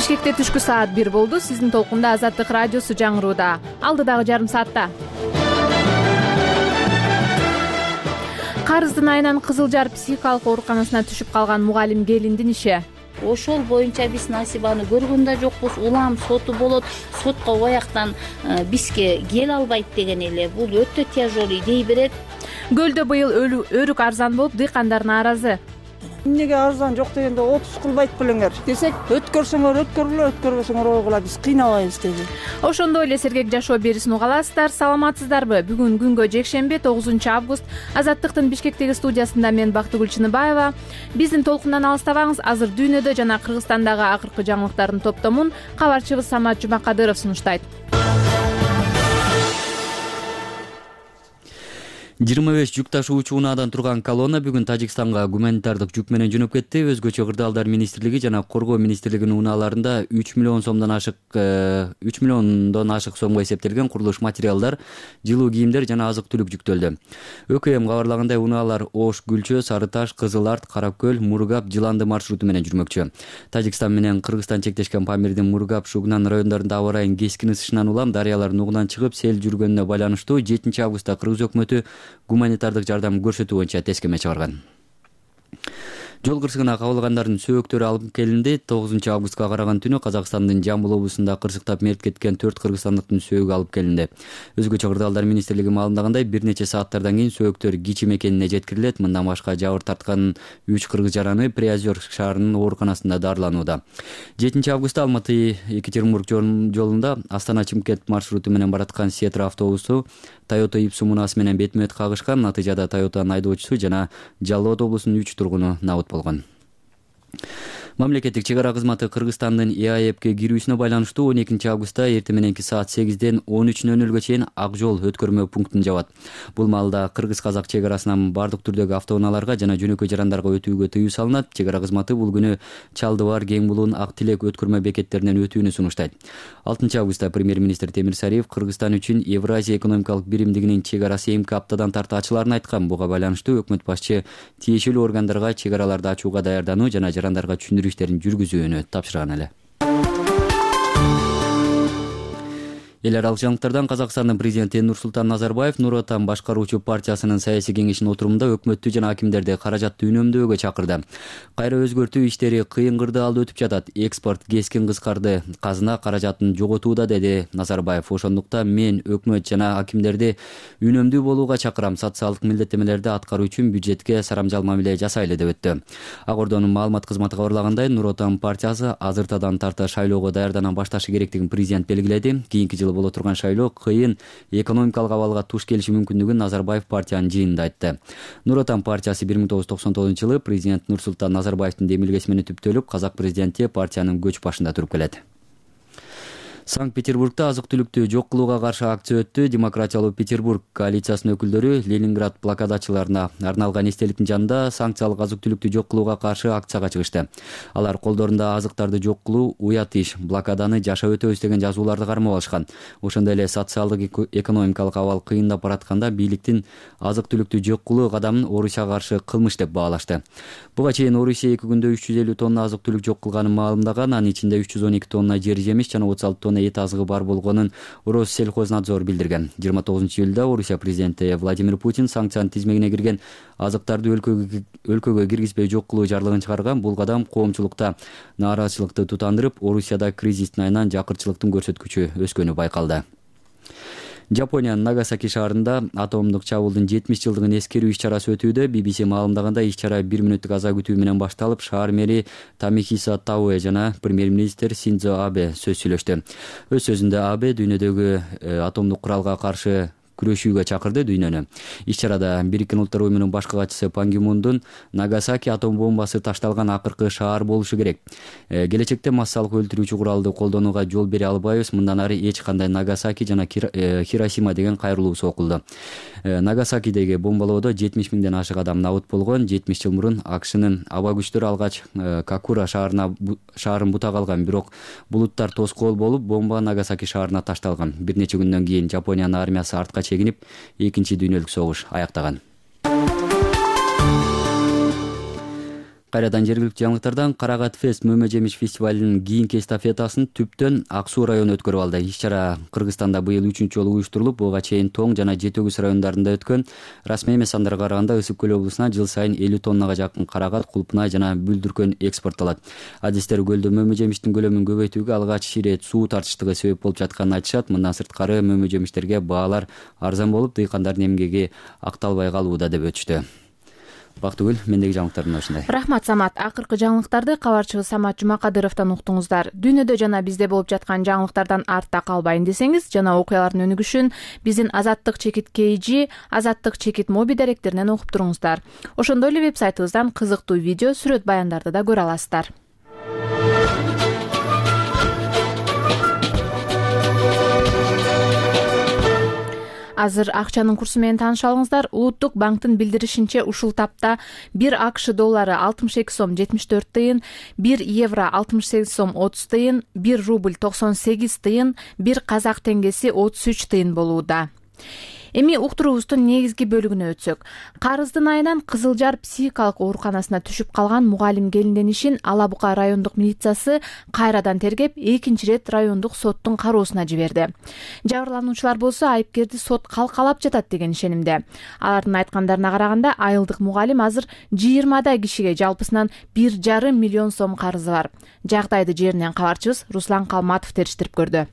Бишкекте түшкү саат 1 болду. Сиздин толкунда Азаттык радиосу жаңырууда. Алдыдагы жарым саатта Карыздын айынан Кызыл Жар психикалык ооруканасына түшүп калган мугалим келиндин иши. Ошол боюнча биз Насибаны көргөн да жокпуз. Улам соту болот. Сотко баяктан бизге кел албайт деген эле. Бул өтө тяжелый идей берет. Көлдө быйыл өрүк арзан болуп, дыйкандар нааразы. Эмнеге арзан жок дегенде 30 кылбайт белеңер десек, өткөрсөңөр өткөрүлө, өткөрбөсөңөр ойгула, биз кыйнабайбыз деди. Ошондой эле сергек жашоо берүүсүн угаласыздар. Саламатсыздарбы? Бүгүн күнгө жекшемби 9 август. Азаттыктын Бишкектеги студиясында мен Бактыгүл Чыныбаева. Биздин толкундан алыстабаңыз. Азыр дүйнөдө жана Кыргызстандагы акыркы жаңылыктардын топтомун кабарчыбыз Самат Жумакадыров сунуштайт. 25 жүк ташуучу унаадан турган колонна бүгүн Тажикстанга гуманитардык жүк менен жөнөп кетти. Өзгөчө Кырдаалдар министрлиги жана Коргоо министрлигинин унааларында 3 миллион сомдон ашык сомго эсептелген курулуш материалдар, жылуу кийимдер жана азык-түлүк жүктөлдү. ÖKM кабарлагандай унаалар Ош, Гүлчө, Сары Таш, Кызыл Арт, Каракөл, Мургап, Жыланды маршруту менен жүрмөкчү. Тажикстан менен Кыргызстан чектешкен Памирдин Мургап, Шугнан райондорунда аба ырайынын кескин ысышынан улам дарыялар нугунан чыгып, сел жүргөнүнө байланыштуу 7 августта Кыргыз өкмөтү гуманитардык жардам көрсөтүү боюнча тескеме чыгарган. Жол кырсыгына кабылгандардын сөөктөрү алып келинди. 9 августка караган түнү Казакстандын Жамбыл облусунда кырсыктап мерт кеткен 4 кыргызстандыктын сөөгү алып келинди. Өзгөчө Кырдаалдар министрлиги маалымдагандай, бир нече сааттардан кийин сөөктөр Кичи мекенине жеткирилет. Мындан башка жабыр тарткан 3 кыргыз жараны Приозерск шаарынын ооруканасында дарыланууда. 7 августта Алматы-Екатеринбург жолунда Астана-Чымкент маршруту менен бараткан Сетра автобусу Toyota Ipsu мунаасы менен бетме-бет кагышкан. Натыйжада Toyota'нын айдоочусу жана Жалал ат облусунун 3 тургуну набыт болгон. Мамлекеттик чек ара кызматы Кыргызстандын ЭАЭПке кирүүсүнө байланыштуу 12 августта эртең мененки саат 8ден 13:00 чейин ак жол өткөрмө пунктун жабат. Бул маалда кыргыз-казак чек арасынан бардык түрдөгү автоунааларга жана жөнөкөй жарандарга өтүүгө тыюу салынат. Чек ара кызматы бул күнү Чалдыбар, Кең Булуун, Ак Тилек өткөрмө бекеттеринен өтүүнү сунуштайт. 6 августта премьер-министр Темир Сариев Кыргызстан үчүн Евразия экономикалык биримдигинин чек арасы эмки аптадан тарта ачыларын айткан. Буга байланыштуу өкмөт башчы тиешелүү органдарга чек араларды ачууга даярдануу жана жарандарга иштерин жүргүзүүнү тапшырган эле. Эл аралык жаңылыктардан Казакстандын президенти Нурсултан Назарбаев Нур Отан башкаруучу партиясынын саясий кеңешинин отурумунда өкмөттү жана акимдерди каражатты үнөмдөөгө чакырды. Кайра өзгөртүү иштери кыйын кырдаалда өтүп жатат. Экспорт кескин кыскарды, казына каражатын жоготууда, деди Назарбаев. Ошондуктан мен өкмөт жана акимдерди үнөмдүү болууга чакырам. Социалдык милдеттемелерди аткаруу үчүн бюджетке сарамжал мамиле жасайлы деп өттү. Ак Ордонун маалымат кызматы кабарлагандай, Нур Отан партиясы азыртадан тарта шайлоого даярдана башташы керектигин президент белгиледи. Кийинки жылы боло турган шайлоо кыйын экономикалык абалга туш келиши мүмкүндүгүн Назарбаев партиянын жыйынында айтты. Нур Отан партиясы 1999-жылы президент Нурсултан Назарбаевдин демилгеси менен түптөлүп, казак президенти партиянын көч башында туруп келет. Санкт-Петербургда азык-түлүктү жок кылууга каршы акция өттү. Демократиялуу Петербург коалициясынын өкүлдөрү Ленинград блокадачыларына арналган эстеликтин жанында санкциялык азык-түлүктү жок кылууга каршы акцияга чыгышты. Алар колдорунда азыктарды жок кылуу уят иш, блокаданы жашап өтөбүз деген жазууларды кармап алышкан. Ошондой эле социалдык экономикалык абал кыйындап баратканда бийликтин азык-түлүктү жок кылуу кадамын Орусияга каршы кылмыш деп баалашты. Буга чейин Орусия 2 күндө 350 тонна азык-түлүк жок кылганын маалымдаган. Анын ичинде 312 тонна жер жемиш жана 36 тонна эт азыгы бар болгонун Россельхознадзор билдирген. 29-июлда Орусия президенти Владимир Путин санкциянын тизмегине кирген азыктарды өлкөгө киргизбей жок кылуу жарлыгын чыгарган. Бул кадам коомчулукта нааразычылыкты тутандырып, Орусияда кризистин айынан жакырчылыктын көрсөткүчү өскөнү байкалды. Жапониянын Нагасаки шаарында атомдук чабуулдун 70 жылдыгын эскерүү иш-чарасы өтүүдө. BBC маалымдаганда иш-чара 1 мүнөттүк аза күтүү менен башталып, шаар мэри Тамихиса Тауэ жана премьер-министр Синдзо Абе сөз сүйлөштү. Өз сөзүндө Абе дүйнөдөгү атомдук куралга каршы күрөшүүгө чакырды дүйнөнү. Иш-чарада Бириккен Улуттар уюмунун башкы катчысы Пан Ги Мундун Нагасаки атом бомбасы ташталган акыркы шаар болушу керек. Келечекте массалык өлтүрүүчү куралды колдонууга жол бере албайбыз. Мындан ары эч кандай Нагасаки жана Хиросима деген кайрылуусу окулду. Нагасакидеги бомбалоодо 70 миңден ашык адам набыт болгон. 70 жыл мурун АКШнын аба күчтөрү алгач Какура шаарын бутак алган, бирок булуттар тоскоол болуп, бомба Нагасаки шаарына ташталган. Бир нече күндөн кийин Жапониянын армиясы артка чегинип, Экинчи дүйнөлүк согуш аяктаган. Кайрадан жергиликтүү жаңылыктардан Карагат Фест мөмө жемиш фестивалынын кийинки эстафетасын Түптөн Ак Суу району өткөрүп алды. Иш-чара Кыргызстанда быйыл 3-чү жолу уюштурулуп, буга чейин Тоң жана Жети Өгүз райондарында өткөн. Расмий эмес сандарга караганда Ысык көл облусуна жыл сайын 50 тоннага жакын карагат, кулпунай жана бүлдүркөн экспорттолот. Адистер көлдө мөмө жемиштин көлөмүн көбөйтүүгө алгач ирет суу тартыштыгы себеп болуп жатканын айтышат. Мындан сырткары мөмө жемиштерге баалар арзан болуп, дыйкандардын эмгеги акталбай калууда деп өтүштү. Бактыгүл, мендеги жаңылыктардын ушундай. Рахмат Самат. Акыркы жаңылыктарды кабарчыбыз Самат Жумакадыровдон уктуңуздар. Дүйнөдө жана бизде болуп жаткан жаңылыктардан артта калбайын десеңиз жана окуялардын өнүгүшүн биздин Азаттык чекит KG, Азаттык чекит моби даректеринен окуп туруңуздар. Ошондой эле вебсайтыбыздан кызыктуу видео, сүрөт баяндарды да көрө аласыздар. Азыр акчанын курсу менен тааныша алыңыздар. Улуттук банктын билдиришинче ушул тапта 1 АКШ доллары 62 сом 74 тыйын, 1 евро 68 сом 30 тыйын, 1 рубль 98 тыйын, 1 казак теңгеси 33 тыйын болууда. Эми уктуруубуздун негизги бөлүгүнө өтсөк. Карыздын айынан Кызыл Жар психикалык ооруканасына түшүп калган мугалим келиндин ишин Ала Бука райондук милициясы кайрадан тергеп, экинчи рет райондук соттун кароосуна жиберди. Жабырлануучулар болсо айыпкерди сот калкалап жатат деген ишенимде. Алардын айткандарына караганда, айылдык мугалим азыр 20 кишиге жалпысынан 1,5 миллион сом карызы бар. Жагдайды жеринен кабарчыбыз Руслан Калматов териштирип көрдү.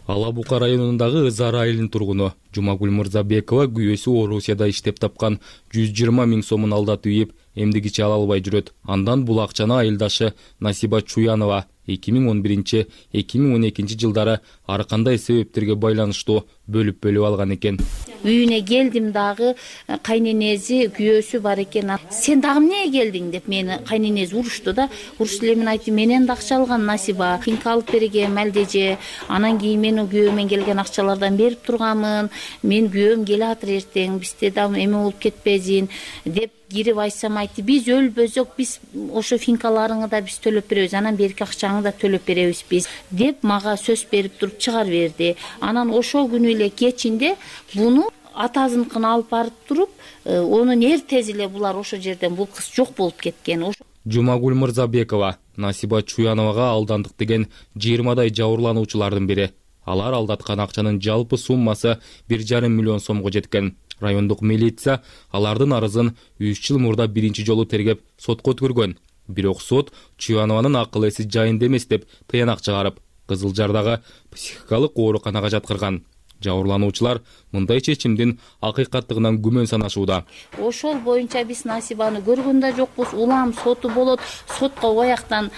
Ала Бука районундагы Ызар айылынын тургуну Жумагүл Мырзабекова күйөөсү Орусияда иштеп тапкан 120 000 сомун алдатып ийип, эмдигичи ала албай жүрөт. Андан бул акчаны айылдашы Насиба Чуянова 2011-2012 жылдары ар кандай себептерге байланыштуу бөлүп алган экен. Үйүнө келдим дагы, кайненеси күйөөсү бар экен. Сен дагы эмне келдиң деп мени кайненеси урушту да. Урушуп эле мен айттым, менен да акча алган Насиба, финка алып бергем алдеже. Анан кийин мен күйөөмөн келген акчалардан берип турганмын. Мен күйөөм келатыр эртең, бизде да эме болуп кетпесин деп кирип айтсам, айтты, биз өлбөсөк, биз ошо финкаларыңы да биз төлөп беребиз, анан берки акчаңы да төлөп беребиз биз деп мага сөз берип туруп чыгарып берди. Анан ошол күнү эле кечинде буну атасыныкын алып барып туруп, онун эртеси эле булар ошол жерден бул кыз жок болуп кеткен. Жумагүл Мырзабекова Насиба Чуяновага алдандык деген 20 жабырлануучулардын бири. Алар алдаткан акчанын жалпы суммасы 1,5 миллион сомго жеткен. Райондук милиция алардын арызын 3 жыл мурда биринчи жолу тергеп сотко өткөргөн. Бирок сот Чуянованын акыл эси жайында эмес деп тыянак чыгарып, Кызыл Жардагы психикалык ооруканага жаткырган. Жабырлануучулар мындай чечимдин акыйкаттыгынан күмөн санашууда. Ошол боюнча биз Насибаны көргөн да жокпуз. Улам соту болот. Сотко бояктан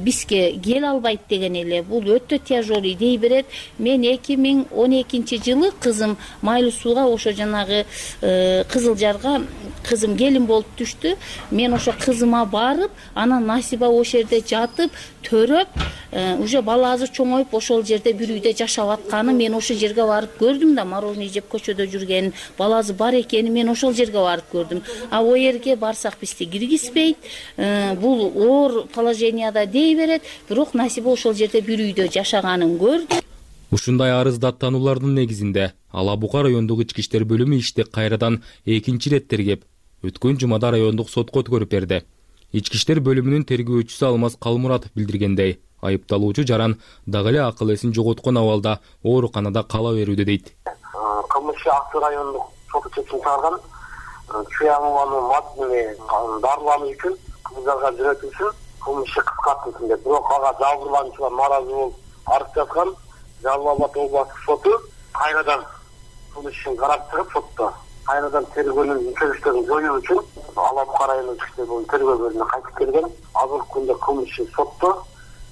бизге кел албайт деген эле. Бул өтө тяжелый дей берет. Мен 2012 жылы кызым Майлуу Сууга, ошо жанагы Кызыл Жарга кызым келин болуп түштү. Мен ошо кызыма барып, анан Насиба ошол жерде жатып, төрөп, уже баласы чоңоюп ошол жерде бир үйдө жашап атканы мен ошол жерге барып көрдүм да, мороженое жеп көчөдө жүрген, баласы бар экени мен ошол жерге барып көрдүм. А о жерге барсак бизди киргизбейт. Бул оор положенияда дей берет, бирок Насиба ошол жерде бир үйдө жашаганын көрдү. Ушундай арыз даттануулардын негизинде Ала Бука райондук ички иштер бөлүмү ишти кайрадан экинчи рет тергеп, өткөн жумада райондук сотко өткөрүп берди. Ички иштер бөлүмүнүн тергөөчүсү Алмаз Калмуратов билдиргендей, айыпталуучу жаран дагы эле акыл эсин жоготкон абалда ооруканада кала берүүдө дейт. Кылмыш Ак Суу райондук соту чечим чыгарган. Чуянованы дарылануу үчүн Кызыл Жарга жөнөтүү үчүн кылмыш кыскартылсын деп. Бирок ага жабырлануучулар нааразы болуп арыз жазган. Жалал Абад областык соту кайрадан кылмыш ишин карап чыгып, сотто кайрадан тергөөнүн чөгүштөрүн жоюу үчүн Ала Бука райондук ички тергөө бөлүмүнө кайтып келген. Азыркы күндө кылмыш сотто.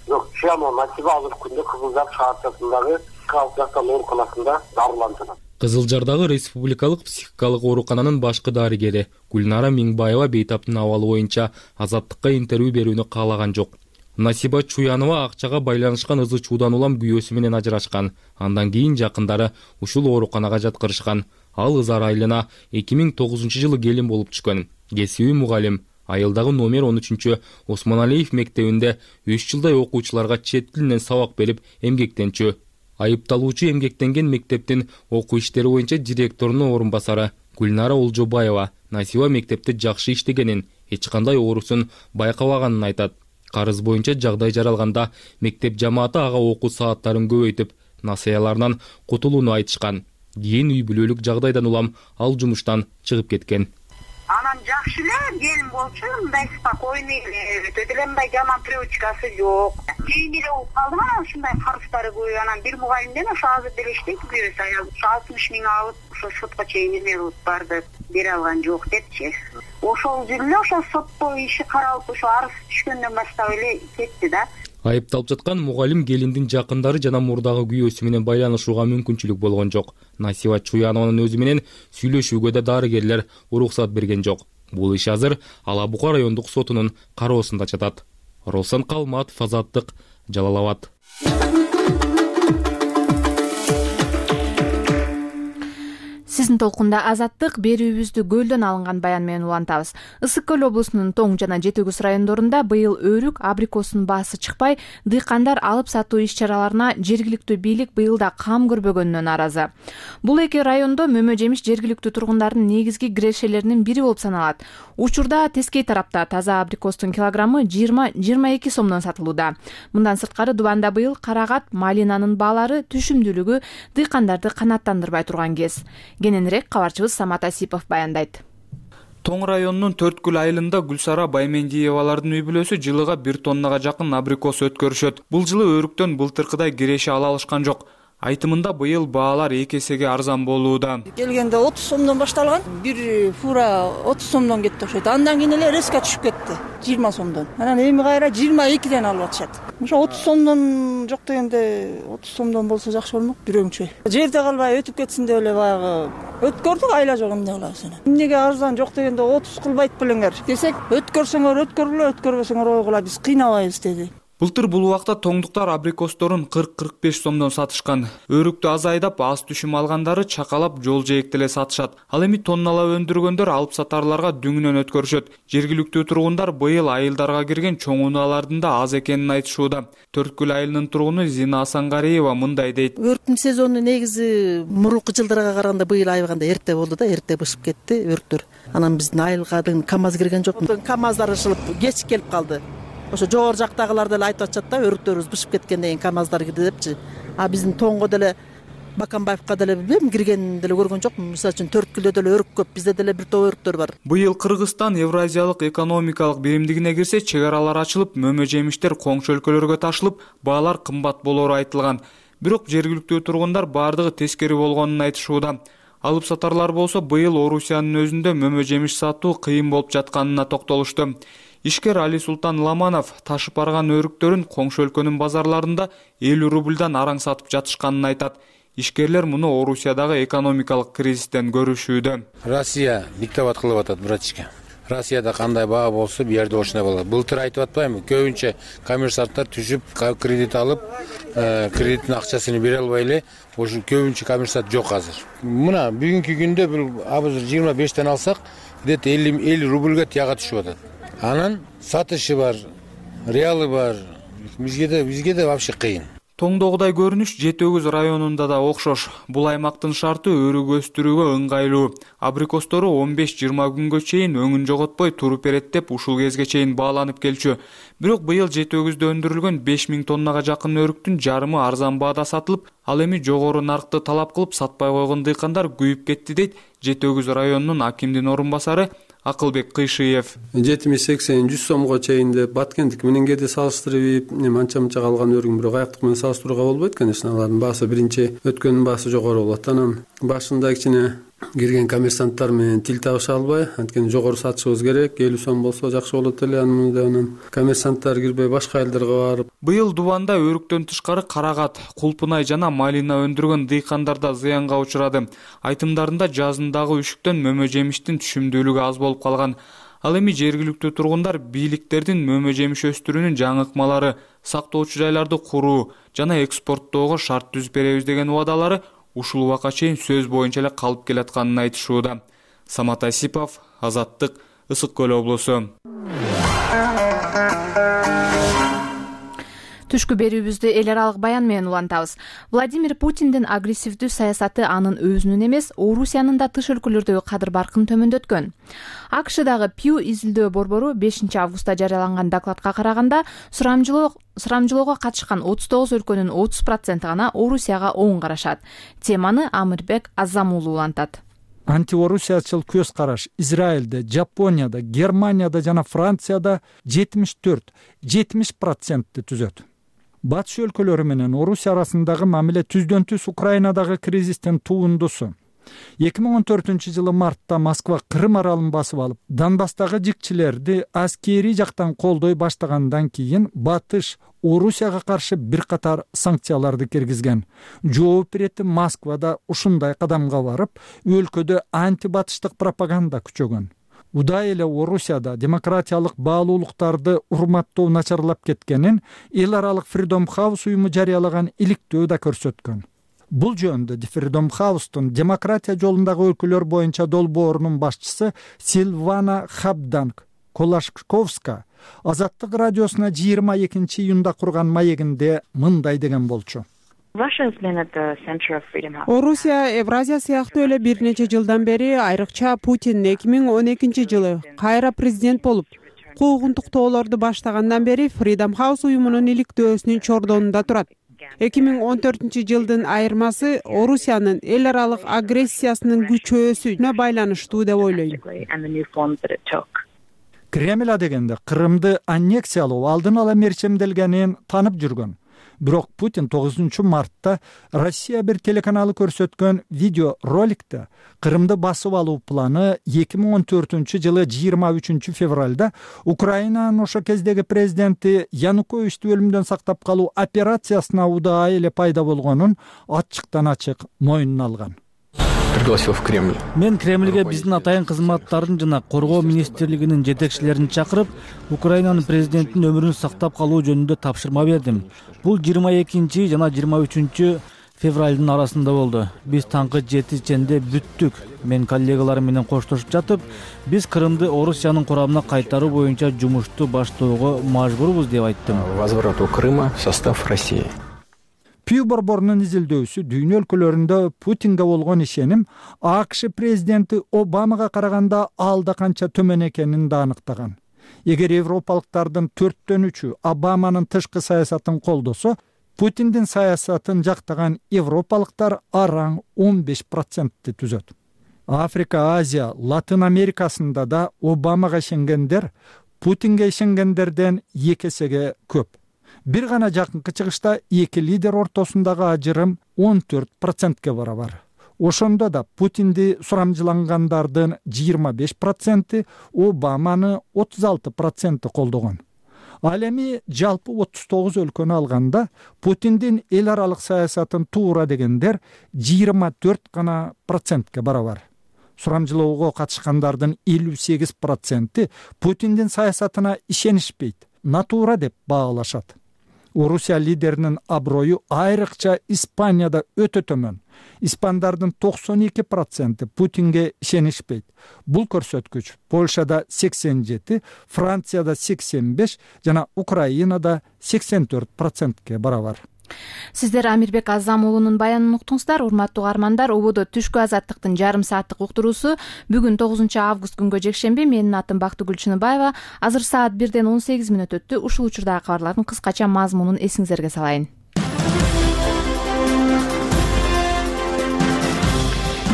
Бирок Чуянова Насиба азыркы күндө Кызыл Жар шаарчасындагы психикалык жактан ооруканасында дарыланып жатат. Кызыл Жардагы республикалык психикалык оорукананын башкы дарыгери Гүлнара Миңбаева бейтаптын абалы боюнча Азаттыкка интервью берүүнү каалаган жок. Насиба Чуянова акчага байланышкан ызы чуудан улам күйөөсү менен ажырашкан. Андан кийин жакындары ушул ооруканага жаткырышкан. Ал Ызар айылына 2009 жылы келин болуп түшкөн. Кесиби мугалим. Айылдагы номер 13 Осмоналиев мектебинде 3 жылдай окуучуларга чет тилинен сабак берип эмгектенчү. Айыпталуучу эмгектенген мектептин окуу иштери боюнча директорунун орун басары Гүлнара Олжобаева Насиба мектепте жакшы иштегенин, эч кандай оорусун байкабаганын айтат. Карыз боюнча жагдай жаралганда мектеп жамааты ага окуу сааттарын көбөйтүп, насаяларынан кутулууну айтышкан. Кийин үй бүлөлүк жагдайдан улам ал жумуштан чыгып кеткен. Анан жакшы эле келин болчу, мындай спокойный эле, өтө эле мындай жаман привычкасы жок. Кийин эле болуп калдым, анан ушундай карыздары көп. Анан бир мугалимден ошо азыр деле иштейт, күйөөсү аял. 60 миң алып, ошо сотко чейин эме кылып барды, бере алган жок депчи. Ошол жерде эле ошо сотто иши каралып, ошо арыз түшкөндөн баштап эле кетти да. Айыпталып жаткан мугалим келиндин жакындары жана мурдагы күйөөсү менен байланышууга мүмкүнчүлүк болгон жок. Насиба Чуянованын өзү менен сүйлөшүүгө да дарыгерлер уруксат берген жок. Бул иш азыр Ала Бука райондук сотунун кароосунда жатат. Росан Калматов, Азаттык, Жалал Абад. Сиздин толкунда Азаттык берүүбүздү көлдөн алынган баян менен улантабыз. Ысык көл облусунун Тоң жана Жети Күз райондорунда быйыл өрүк, абрикостун баасы чыкпай, дыйкандар алып сатуу иш-чараларына жергиликтүү бийлик быйыл да кам көрбөгөнүнөн наразы. Бул эки райондо мөмө жемиш жергиликтүү тургундардын негизги кирешелеринин бири болуп саналат. Учурда Тескей тарапта таза абрикостун килограммы 20-22 сомдон сатылууда. Мындан сырткары Дубанда быйыл карагат, малинанын баалары түшүмдүүлүгү дыйкандарды канааттандырбай турган кез. Кененирээк кабарчыбыз Самат Асипов баяндайт. Тоң районунун Төрткүл айылында Гүлсара Баймендиевалардын үй бүлөсү жылыга 1 тоннага жакын абрикос өткөрүшөт. Бул жылы өрүктөн былтыркыдай киреше ала алышкан жок. Айтымында быйыл баалар 2 эсеге арзан болууда. Келгенде 30 сомдон башталган, бир фура 30 сомдон кетти окшойт. Андан кийин эле резко түшүп кетти, 20 сомдон. Анан эми кайра 22ден алып атышат. Ошо 30 сомдон жок дегенде 30 сомдон болсо жакшы болмок, бирөөңчө. Жерде калбай өтүп кетсин деп эле баягы өткөрдүк, айла жок, эмне кылабыз эне. Эмнеге арзан жок дегенде 30 кылбайт белеңер десек, өткөрсөңөр өткөргүлө, өткөрбөсөңөр ойгула, биз кыйнабайбыз деди. Былтыр бул убакта тоңдуктар абрикосторун 40-45 сомдон сатышкан. Өрүктү аз айдап, аз түшүм алгандары чакалап жол жээктеле сатышат. Ал эми тонналап өндүргөндөр алып сатарларга дүңүнөн өткөрүшөт. Жергиликтүү тургундар быйыл айылдарга кирген чоң унаалардын да аз экенин айтышууда. Төрткүл айылынын тургуну Зина Асангариева мындай дейт. Өрүктүн сезону негизи мурунку жылдарга караганда быйыл айбаганда эрте болду да, эрте бышып кетти өрүктөр. Анан биздин айылга КамАЗ кирген жок. КамАЗдар ышылып кеч келип калды. Ошо жогору жактагылар деле айтып атышат да, өрүктөрүбүз бышып кеткен деген КамАЗдар кирди депчи. А биздин Тоңго деле Баканбаевка деле билбейм, киргенин деле көргөн жокмун. Мисалы үчүн Төрткүлдө деле өрүк көп, бизде деле бир топ өрүктөр бар. Быйыл Кыргызстан Евразиялык экономикалык биримдигине кирсе, чек аралар ачылып, мөмө жемиштер коңшу өлкөлөргө ташылып, баалар кымбат болору айтылган. Бирок жергиликтүү тургундар бардыгы тескери болгонун айтышууда. Алып сатарлар болсо, быйыл Орусиянын өзүндө мөмө жемиш сатуу кыйын болуп жатканына токтолушту. Ишкер Али Султан Ламанов ташып барган өрүктөрүн коңшу өлкөнүн базарларында 50 рубльдан араң сатып жатышканын айтат. Ишкерлер муну Орусиядагы экономикалык кризистен көрүшүүдө. Россия диктоват кылып атат, братчика. Россияда кандай баа болсо, бу жерде ошондой болот. Былтыр айтып атпаймынбы? Көбүнчө коммерсанттар түшүп, кредит алып, кредиттин акчасын бере албай эле, ошо көбүнчө коммерсант жок азыр. Мына бүгүнкү күндө бул азыр 25тен алсак, где-то 50 рубльга тияга түшүп атат. Анан сатышы бар, реалы бар. Бизге да вообще кыйын. Тоңдогудай көрүнүш Жети Күз районунда да окшош. Бул аймактын шарты өрүк өстүрүүгө ыңгайлуу. Абрикостору 15-20 күнгө чейин өңүн жоготпой туруп берет деп ушул кезге чейин бааланып келчү. Бирок быйыл Жети Күздө өндүрүлгөн 5000 тоннага жакын өрүктүн жарымы арзан баада сатылып, ал эми жогору наркты талап кылып сатпай койгон дыйкандар күйүп кетти дейт Жети Күз районунун акимдин орун басары Акылбек Кыйшиев. 70-80-100 сомго чейин деп баткендик менен кээде салыштырып, анча-мынча калган өрүк, бирок аяктык менен салыштырууга болбойт, конечно. Алардын баасы биринчи өткөндүн баасы жогору болот. Анан башында кичине кирген коммерсанттар менен тил табыша албай, анткени жогору сатышыбыз керек, 50 сом болсо жакшы болот эле. Анан коммерсанттар кирбей башка айылдарга барып. Быйыл Дубанда өрүктөн тышкары карагат, кулпунай жана малина өндүргөн дыйкандар да зыянга учурады. Айтымдарында жазындагы үшүктөн мөмө жемиштин түшүмдүүлүгү аз болуп калган. Ал эми жергиликтүү тургундар бийликтердин мөмө жемиш өстүрүүнүн жаңыкмалары, сактоочу жайларды куруу жана экспорттоого шарт түзүп беребиз деген убадалары ушул убакка чейин сөз боюнча эле калып келатканын айтышууда. Самат Асипов, Азаттык, Ысык көл облусу. Түшкү берүүбүздү эл аралык баян менен улантабыз. Владимир Путиндин агрессивдүү саясаты анын өзүнүн эмес, Орусиянын да тыш өлкөлөрдөгү кадыр баркын төмөндөткөн. АКШдагы Pew изилдөө борбору 5 августта жарыяланган докладка караганда, сурамжылоого катышкан 39 өлкөнүн 30% гана Орусияга оң карашат. Теманы Амирбек Азамуулу улантат. Антиорусиячыл көз караш Израилде, Жапонияда, Германияда жана Францияда 74-70% түзөт. Батыш өлкөлөрү менен Орусия арасындагы мамиле түздөн түз Украинадагы кризистин туундусу. 2014-жылы мартта Москва Крым аралын басып алып, Донбасстагы жикчилерди аскерий жактан колдой баштагандан кийин Батыш Орусияга каршы бир катар санкцияларды киргизген. Жооп берет Москвада ушундай кадамга барып, өлкөдө антибатыштык пропаганда күчөгөн. Удай эле Орусияда демократиялык баалуулуктарды урматтоо начарлап кеткенин эл аралык Freedom House уюму жарыялаган иликтөө да көрсөткөн. Бул жөнүндө Freedom House'тун демократия жолундагы өлкөлөр боюнча долбоорунун башчысы Силвана Хабданг Колашковска Азаттык радиосуна 22-июнда курган маегинде мындай деген болчу. Орусия Евразия сыяктуу эле бир нече жылдан бери, айрыкча Путин 2012-жылы кайра президент болуп, куугунтуктоолорду баштагандан бери Freedom House уюмунун иликтөөсүнүн чордонунда турат. 2014-жылдын айырмасы Орусиянын эл аралык агрессиясынын күчөөсүнө байланыштуу деп ойлойм. Кремль дегенде Крымды аннексиялоо алдын ала мерчемделгенин танып жүргөн. Бирок Путин 9 мартта Россия бир телеканалы көрсөткөн видео роликте Крымды басып алуу планы 2014-жылы 23 февралда Украинанын ошо кездеги президенти Януковичти өлүмдөн сактап калуу операциясына удаай эле пайда болгонун ачыктан ачык моюнуна алган. Пригласил в Кремль. Мен Кремльге биздин атайын кызматтардын жана коргоо министрлигинин жетекчилерин чакырып, Украинанын президентинин өмүрүн сактап калуу жөнүндө тапшырма бердим. Бул 22 жана 23 февралдын арасында болду. Биз таңкы 7-ченде бүттүк. Мен коллегаларым менен коштошуп жатып, биз Крымды Орусиянын курамына кайтаруу боюнча жумушту баштоого мажбурбуз деп айттым. Возврату Крыма в состав России. Pew борборунун изилдөөсү дүйнө өлкөлөрүндө Путинге болгон ишеним АКШ президенти Обамага караганда алда канча төмөн экенин да аныктаган. Эгер европалыктардын 4/3 Обаманын тышкы саясатын колдосо, Путиндин саясатын жактаган европалыктар араң 15% түзөт. Африка, Азия, Латын Америкасында да Обамага ишенгендер Путинге ишенгендерден 2 эсеге көп. Бир гана жакынкы чыгышта эки лидер ортосундагы ажырым 14%ке барабар. Ошондо да Путинди сурамжылангандардын 25%, Обаманы 36% колдогон. Ал эми жалпы 39 өлкөнү алганда Путиндин эл аралык саясатын туура дегендер 24% барабар. Сурамжылоого катышкандардын 58% Путиндин саясатына ишенишпейт, натуура деп баалашат. Орусия лидеринин аброю айрыкча Испанияда өтө төмөн. Испандардын 92% Путинге ишенишпейт. Бул көрсөткүч Польшада 87, Францияда 85 жана Украинада 84%ке барабар. Сиздер Амирбек Азамуулунун баянын уктуңуздар. Урматтуу угармандар, ободо түшкү азаттыктын жарым сааттык уктуруусу бүгүн 9 август күнгө жекшемби. Менин атым Бактыгүл Чыныбаева. Азыр саат 1:18 өттү. Ушул учурдагы кабарлардын кыскача мазмунун эсиңиздерге салайын.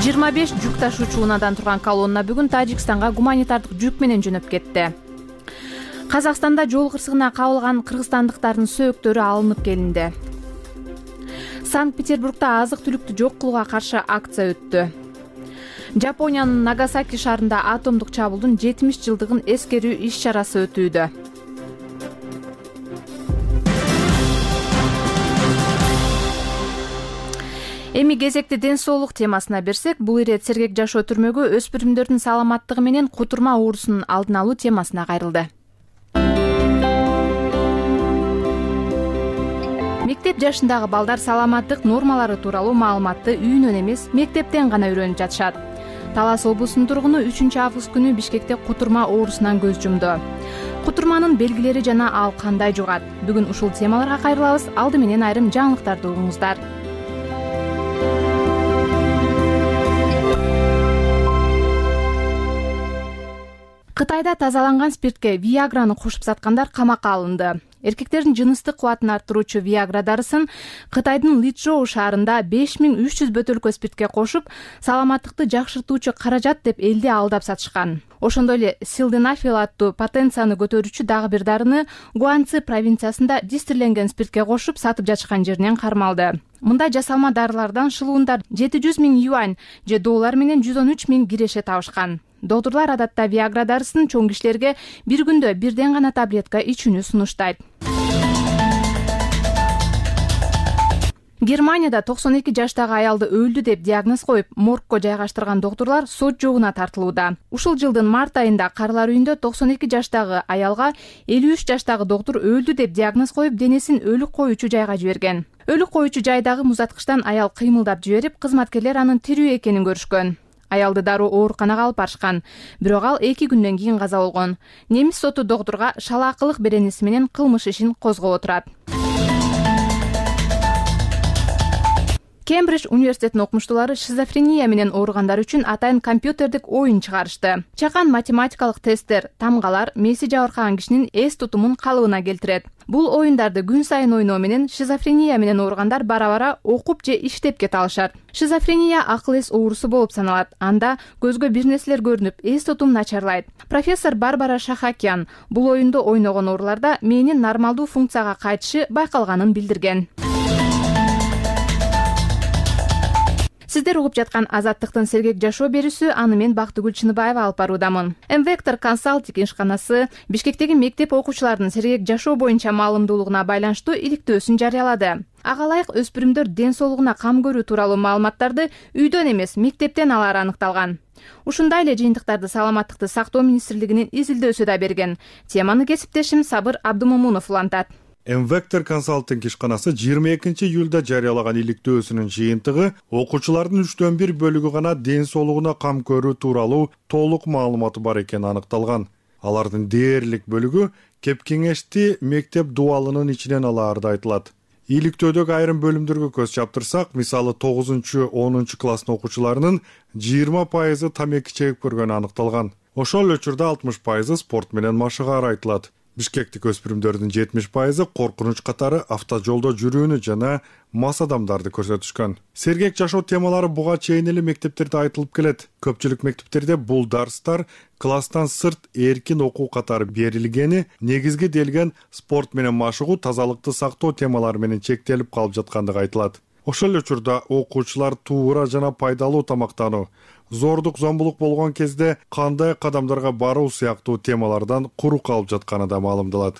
25 жүк ташуучу унаадан турган колонна бүгүн Тажикстанга гуманитардык жүк менен жөнөп кетти. Казакстанда жол кырсыгына кабылган кыргызстандыктардын сөөктөрү алынып келинди. Санкт-Петербургда азык-түлүктү жок кылууга каршы акция өттү. Жапониянын Нагасаки шаарында атомдук чабуулдун 70 жылдыгын эскерүү иш-чарасы өтүүдө. Эми кезекти ден соолук темасына берсек, бул ирет сергек жашоо түрмөгү өспүрүмдөрдүн саламаттыгы менен кутурма оорусунун алдын алуу темасына кайрылды. Мектеп жашындагы балдар саламаттык нормалары тууралуу маалыматты үйүнөн эмес, мектептен гана үйрөнүп жатышат. Талас облусунун тургуну 3 август күнү Бишкекте кутурма оорусунан көз жумду. кутурманын белгилери жана ал кандай жугат? Бүгүн ушул темаларга кайрылабыз. Алды менен айрым жаңылыктарды угуңуздар. Кытайда тазаланган спиртке Виаграны кошуп саткандар камакка алынды. Эркектердин жыныстык кубатын арттыруучу Виагра дарысын Кытайдын Личжоу шаарында 5300 бөтөлкө спиртке кошуп, саламаттыкты жакшыртуучу каражат деп элди алдап сатышкан. Ошондой эле Силденафил аттуу потенцияны көтөрүүчү дагы бир дарыны Гуанцзы провинциясында дистилленген спиртке кошуп сатып жатышкан жеринен кармалды. Мындай жасалма дарылардан шылуундар 700 000 юань же доллар менен 113 000 киреше табышкан. Доктурлар адатта Виагра дарысын чоң кишилерге бир күндө бирден гана таблетка ичүүнү сунуштайт. Германияда 92 жаштагы аялды өлдү деп диагноз коюп, моргко жайгаштырган доктурлар сот жоогуна тартылууда. Ушул жылдын март айында Карылар үйүндө 92 жаштагы аялга 53 жаштагы доктур өлдү деп диагноз коюп, денесин өлүк коюучу жайга жиберген. Өлүк коюучу жайдагы музаткычтан аял кыймылдап жиберип, кызматкерлер анын тирүү экенин көрүшкөн. Аялды дароо ооруканага алып барышкан, бирок ал 2 күндөн кийин каза болгон. Немис соту доктурга шалаакылык беренеси менен кылмыш ишин козгоп отурат. Кембридж университетинин окумуштуулары шизофрения менен ооругандар үчүн атайын компьютердик оюн чыгарышты. Чакан математикалык тесттер тамгалар мээси жабыркаган кишинин эс тутумун калыбына келтирет. Бул оюндарды күн сайын ойноо менен шизофрения менен ооругандар бара-бара окуп же иштеп кете алышат. Шизофрения акыл эс оорусу болуп саналат. Анда көзгө бир нерселер көрүнүп, эс тутум начарлайт. Профессор Барбара Шахакян бул оюнду ойногон ооруларда мээнин нормалдуу функцияга кайтышы байкалганын билдирген. Сиздер угуп жаткан Азаттыктын сергек жашоо берүүсү, аны мен Бактыгүл Чыныбаева алып баруудамын. М-Вектор консалтинг ишканасы Бишкектеги мектеп окуучуларынын сергек жашоо боюнча маалымдуулугуна байланыштуу иликтөөсүн жарыялады. Ага ылайык өспүрүмдөр ден соолугуна кам көрүү тууралуу маалыматтарды үйдөн эмес, мектептен алары аныкталган. Ушундай эле жыйынтыктарды Саламаттыкты сактоо министрлигинин изилдөөсү да берген. Теманы кесиптешим Сабыр Абдымомунов улантат. М-Вектор консалтинг ишканасы 22 июлда жарыялаган иликтөөсүнүн жыйынтыгы окуучулардын 1/3 бөлүгү гана ден соолугуна кам көрүү тууралуу толук маалыматы бар экени аныкталган. Алардын дээрлик бөлүгү кеп-кеңешти мектеп дубалынын ичинен алаарды айтылат. Иликтөөдөгү айрым бөлүмдөргө көз чаптырсак, мисалы 9-10 класстын окуучуларынын 20% тамеки чегип көргөнү аныкталган. Ошол эле учурда 60% спорт менен машыгаары айтылат. Бишкектик өспүрүмдөрдүн 70% коркунуч катары автожолдо жүрүүнү жана мас адамдарды көрсөтүшкөн. Сергек жашоо темалары буга чейин эле мектептерде айтылып келет. Көпчүлүк мектептерде бул дарстар класстан сырт эркин окуу катары берилгени, негизги делген спорт менен машыгуу, тазалыкты сактоо темалары менен чектелип калып жаткандыгы айтылат. Ошол эле учурда окуучулар туура жана пайдалуу тамактануу, зордук зомбулук болгон кезде кандай кадамдарга баруу сыяктуу темалардан куру калып жатканы да маалымдалат.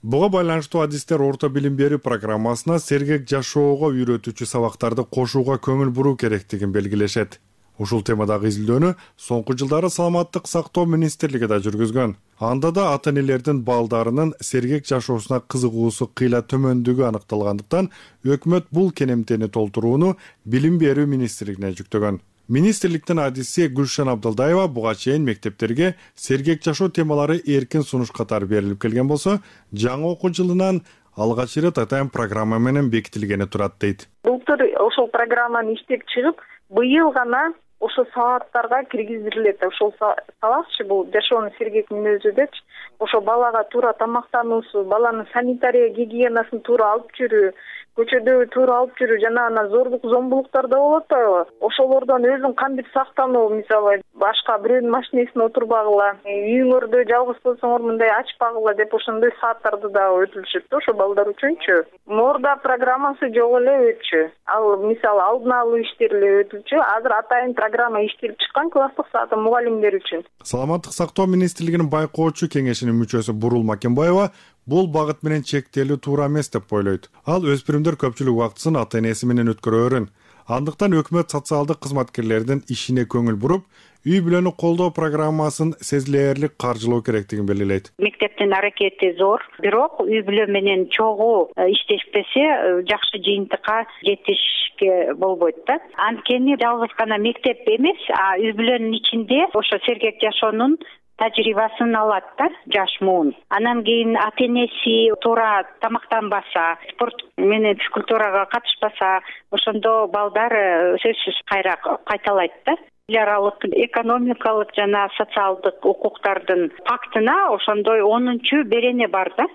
Буга байланыштуу адистер орто билим берүү программасына сергек жашоого үйрөтүүчү сабактарды кошууга көңүл буруу керектигин белгилешет. Ушул темадагы изилдөөнү соңку жылдары Саламаттык сактоо министрлиги да жүргүзгөн. Анда да ата-энелердин балдарынын сергек жашоосуна кызыгуусу кыйла төмөндүгү аныкталгандыктан өкмөт бул кенемтени толтурууну билим берүү министрлигине жүктөгөн. Министрликтин адиси Гүлшан Абдалдаева буга чейин мектептерге сергек жашоо темалары эркин сунуш катары берилип келген болсо, жаңы окуу жылынан алгач ирет атайын программа менен бекитилгени турат дейт. Былтыр ошол программаны иштеп чыгып, быйыл гана ошол сабаттарга киргизилет. Ошол сабакчы бул жашоонун сергек мүнөзү депчи, ошо балага туура тамактануусу, баланын санитария гигиенасын туура алып жүрүү, көчөдө туура алып жүрүү жана анан зордук зомбулуктар да болуп атпайбы? Ошолордон өзүң кантип сактануу, мисалы башка бирөөнүн машинесине отурбагыла, үйүңөрдө жалгыз болсоңор мындай ачпагыла деп ошондой сааттарды да өтүлүшөт да ошо балдар үчүнчү. Мурда программасы жок эле өтчү. Ал мисалы алдын алуу иштери эле өтүлчү. Азыр атайын программа иштелип чыккан класстык сааты мугалимдер үчүн. Саламаттык сактоо министрлигинин байкоочу кеңешинин мүчөсү Бурул Макенбаева бул багыт менен чектелүү туура эмес деп ойлойт. Ал өспүрүмдөр көпчүлүк убактысын ата-энеси менен өткөрөөрүн. Андыктан өкмөт социалдык кызматкерлердин ишине көңүл буруп, үй бүлөнү колдоо программасын сезилээрлик каржылоо керектигин белгилейт. Мектептин аракети зор, бирок үй бүлө менен чогуу иштешпесе жакшы жыйынтыкка жетишке болбойт да. Анткени жалгыз гана мектеп эмес, үй бүлөнүн ичинде ошо сергек жашоонун тажрыйбасын алат да жаш муун. Анан кийин ата энеси туура тамактанбаса, спорт менен физкультурага катышпаса, ошондо балдар сөзсүз кайра кайталайт да. Эл аралык экономикалык жана социалдык укуктардын пактына ошондой 10-чу берене бар да.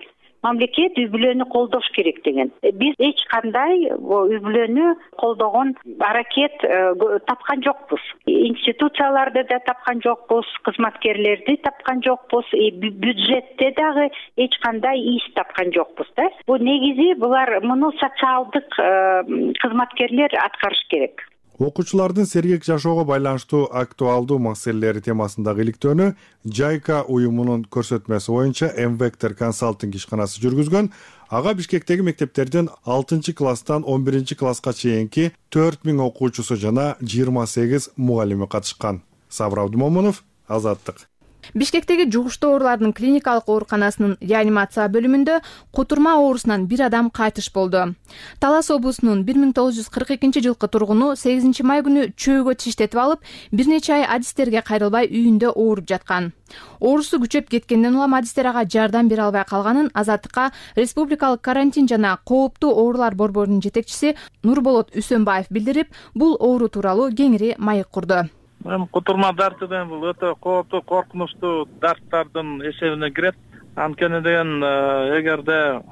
Мамлекет үй бүлөнү колдош керек деген. Биз эч кандай үй бүлөнү колдогон аракет тапкан жокпуз. Институцияларды да тапкан жокпуз, кызматкерлерди тапкан жокпуз, бюджетте дагы эч кандай иш тапкан жокпуз да. Бул негизи булар муну социалдык кызматкерлер аткарыш керек. Окуучулардын сергек жашоого байланыштуу актуалдуу маселелери темасындагы иликтөөнү Жайка уюмунун көрсөтмөсү боюнча M-Vector консалтинг ишканасы жүргүзгөн. Ага Бишкектеги мектептердин 6-класстан 11-класска чейинки 4000 окуучусу жана 28 мугалими катышкан. Сабыр Абдумомунов, Азаттык. Бишкектеги жугуштуу оорулардын клиникалык ооруканасынын реанимация бөлүмүндө кутурма оорусунан бир адам кайтыш болду. Талас облусунун 1942-жылкы тургуну 8 май күнү чөөгө тиштетип алып, бир нече ай адистерге кайрылбай үйүндө ооруп жаткан. Оорусу күчөп кеткенден улам адистер ага жардам бере албай калганын Азаттыкка Республикалык карантин жана кооптуу оорулар борборунун жетекчиси Нурболот Үсөнбаев билдирип, бул оору тууралуу кеңири маек курду. Кутурма дарты деген бул өтө кооптуу, коркунучтуу дарттардын эсебине кирет. Анткени деген эгерде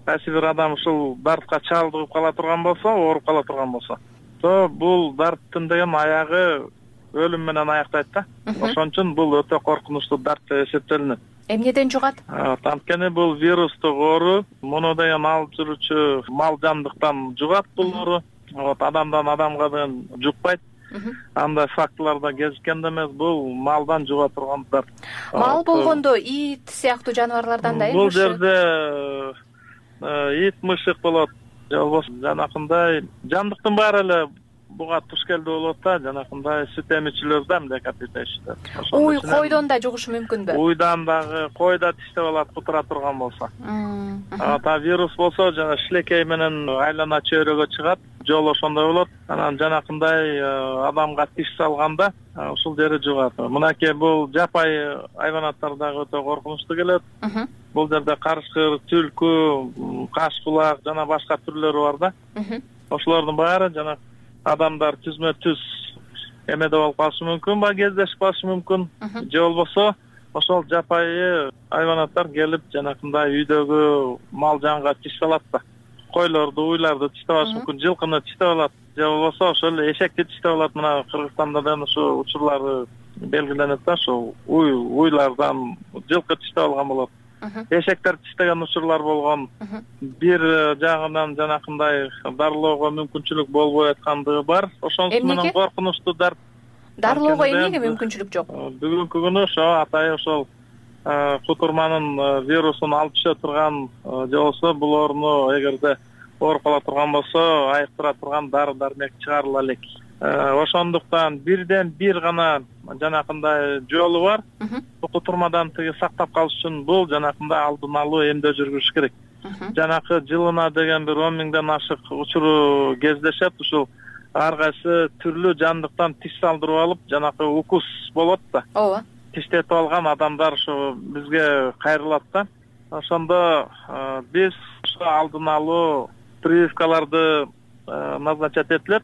кайсы бир адам ушул дартка чалдыгып кала турган болсо, ооруп кала турган болсо, то бул дарттын деген аягы өлүм менен аяктайт да. Ошон үчүн бул өтө коркунучтуу дарт деп эсептелинет. Эмнеден жугат? Анткени бул вирустук оору, муну деген алып жүрүүчү мал жандыктан жугат бул оору. Адамдан адамга деген жукпайт. Андай фактыларда кезиккен да эмес, бул малдан жуга турган дарт. Мал болгондо ит сыяктуу жаныбарлардан да бул жерде ит, мышык болот, же болбосо жанакындай жандыктын баары эле буга туш келдүү болот да, жанакындай сүт эмичилер да млекопитающий. Уй, койдон да жугушу мүмкүнбү? Уйдан дагы койда тиштеп алат кутура турган болсо. Та вирус болсо жана шилекей менен айлана чөйрөгө чыгат, жол ошондой болот. Анан жанакындай адамга тиш салганда ушул жери жугат. Мынакей бул жапай айванаттар дагы өтө коркунучтуу келет. Бул жерде карышкыр, түлкү, каш булак жана башка түрлөрү бар да. Ошолордун баары жана адамдар түзмө-түз эмеде болуп калышы мүмкүн, кездешип калышы мүмкүн. Же болбосо ошол жапайы айванаттар келип жанакындай үйдөгү мал жанга тиш салат да. Койлорду, уйларды тиштеп алышы мүмкүн, жылкыны тиштеп алат, же болбосо ошол эшекти тиштеп алат. Мына Кыргызстанда да ушу учурлары белгиленет да, ошол уйлардан жылкы тиштеп алган болот. Эшектер тиштеген учурлар болгон. Бир жагынан жанакындай дарылоого мүмкүнчүлүк болбой аткандыгы бар. Ошонусу менен коркунучтуу дарт. Дарылоого эмнеге мүмкүнчүлүк жок? Бүгүнкү күнү ошо атайын ошол кутурманын вирусун алып түшө турган, же болбосо бул ооруну эгерде ооруп кала турган болсо, айыктыра турган дары-дармек чыгарыла элек. Ошондуктан бирден бир гана жанакындай жолу бар. Кутурмадан тиги сактап калыш үчүн бул жанакындай алдын алуу эмдөө жүргүзүш керек. Жанакы жылына деген бир 10 миңден ашык учуру кездешет. Ушул ар кайсы түрлүү жандыктан тиш салдырып алып, жанакы укус болот да. Ооба. Тиштетип алган адамдар ушу бизге кайрылат да. Ошондо биз ушу алдын алуу прививкаларды назначать этилет.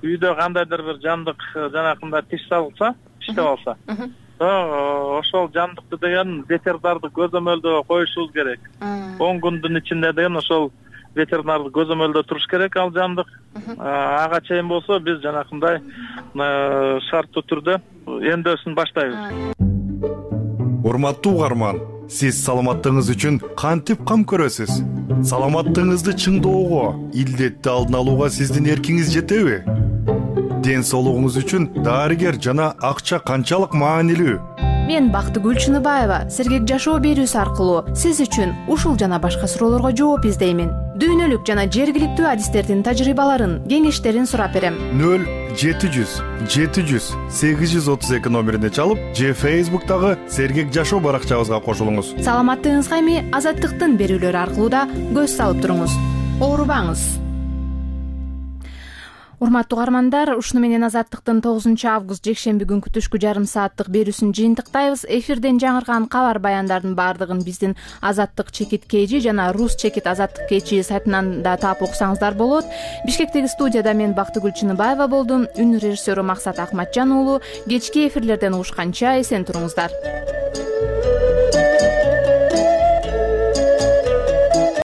Үйдө кандайдыр бир жандык жанакындай тиш салса, тиштеп алса, ошол жандыкты деген ветеринарды көзөмөлдөө коюшубуз керек. 10 күндүн ичинде деген ошол ветеринарды көзөмөлдөө туруш керек ал жандык. Ага чейин болсо биз жанакындай шарттуу түрдө эмдөөсүн баштайбыз. Урматтуу угарман, сиз саламаттыгыңыз үчүн кантип кам көрөсүз? Саламаттыгыңызды чыңдоого, илдетти алдын алууга сиздин эркиңиз жетеби? Ден соолугуңуз үчүн дарыгер жана акча канчалык маанилүү? Мен Бактыгүл Чыныбаева сергек жашоо берүүсү аркылуу сиз үчүн ушул жана башка суроолорго жооп издеймин. Дүйнөлүк жана жергиликтүү адистердин тажрыйбаларын, кеңештерин сурап берем. 0700 700 832 номерине чалып, же Facebook'тагы сергек жашоо баракчабызга кошулуңуз. Саламаттыгыңызга эми Азаттыктын берүүлөрү аркылуу да көз салып туруңуз. Оорубаңыз. Урматтуу угармандар, ушуну менен Азаттыктын 9-август жекшемби күнкү түшкү жарым сааттык берүүсүн жыйынтыктайбыз. Эфирден жаңырган кабар баяндардын баардыгын биздин Азаттык чекит KG жана Рус чекит Азаттык KG сайтынан да таап окусаңыздар болот. Бишкектеги студияда мен Бактыгүл Чыныбаева болдум. Үн режиссеру Максат Акматжан уулу. Кечки эфирлерден угушканча эсен туруңуздар.